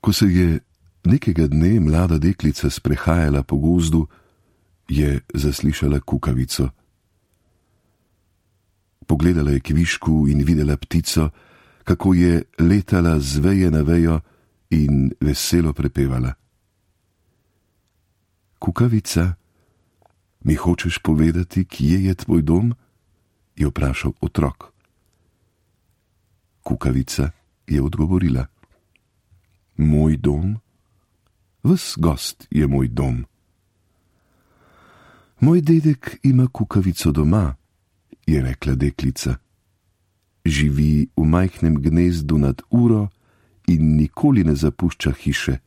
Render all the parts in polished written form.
Ko se je nekega dne mlada deklica sprehajala po gozdu, je zaslišala kukavico. Pogledala je kvišku in videla ptico, kako je letala z veje na vejo in veselo prepevala. Kukavica, mi hočeš povedati, kje je tvoj dom? Je vprašal otrok. Kukavica je odgovorila. Moj dom? Ves gost je moj dom. Moj dedek ima kukavico doma, je rekla deklica. Živi v majhnem gnezdu nad uro in nikoli ne zapušča hiše.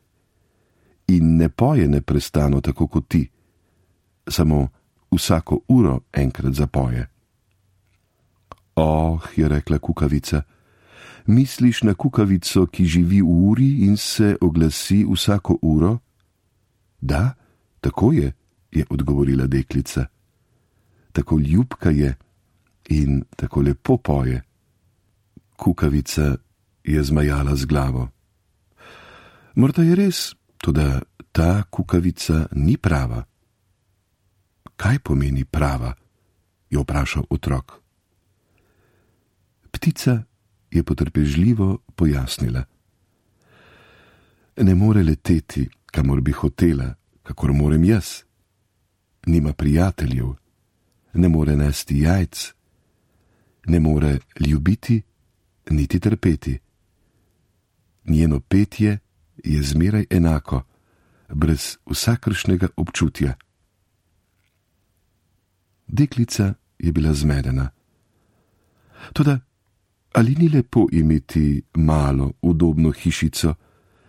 In ne poje neprestano tako kot ti, samo vsako uro enkrat zapoje. Oh, je rekla kukavica, misliš na kukavico, ki živi v uri in se oglasi vsako uro? Da, tako je odgovorila deklica. Tako ljubka je in tako lepo poje. Kukavica je zmajala z glavo. Morda je res, toda ta kukavica ni prava. Kaj pomeni prava? Je vprašal otrok. Ptica je potrpežljivo pojasnila. Ne more leteti, kamor bi hotela, kakor morem jaz. Nima prijateljev, ne more nesti jajc, ne more ljubiti, niti trpeti. Njeno petje je zmeraj enako, brez vsakršnega občutja. Deklica je bila zmedena. Toda, ali ni lepo imeti malo, udobno hišico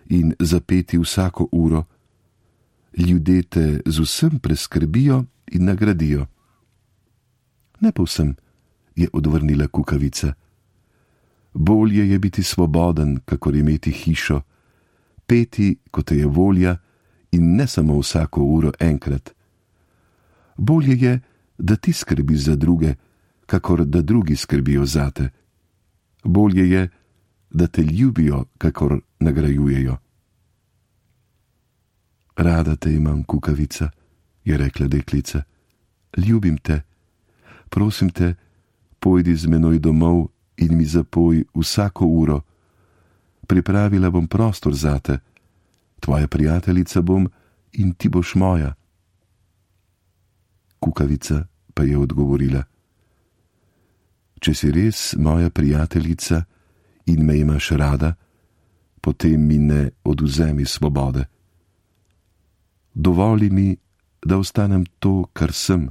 in zapeti vsako uro? Ljudje te z vsem preskrbijo in nagradijo. Ne povsem, je odvrnila kukavica. Bolje je biti svoboden, kakor imeti hišo, peti, kot te je volja, in ne samo vsako uro enkrat. Bolje je, da ti skrbiš za druge, kakor da drugi skrbijo zate. Bolje je, da te ljubijo, kakor nagrajujejo. Rada te imam, kukavica, je rekla deklica. Ljubim te. Prosim te, pojdi z menoj domov in mi zapoj vsako uro. Pripravila bom prostor zate. Tvoja prijateljica bom in ti boš moja. Kukavica pa je odgovorila. Če si res moja prijateljica in me imaš rada, potem mi ne odvzemi svobode. Dovoli mi, da ostanem to, kar sem.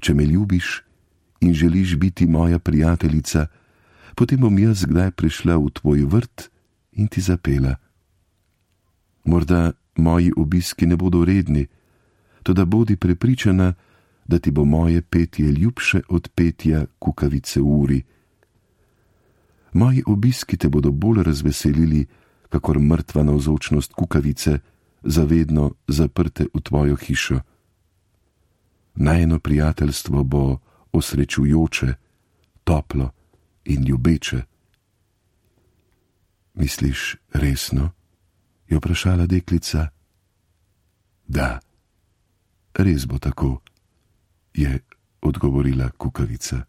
Če me ljubiš in želiš biti moja prijateljica, potem bom jaz kdaj prišla v tvoj vrt in ti zapela. Morda moji obiski ne bodo redni, toda bodi prepričana, da ti bo moje petje ljubše od petja kukavice v uri. Moji obiski te bodo bolj razveselili, kakor mrtva navzočnost kukavice, zavedno zaprte v tvojo hišo. Najino prijateljstvo bo osrečujoče, toplo in ljubeče. Misliš resno? Je vprašala deklica. Da, res bo tako, je odgovorila kukavica.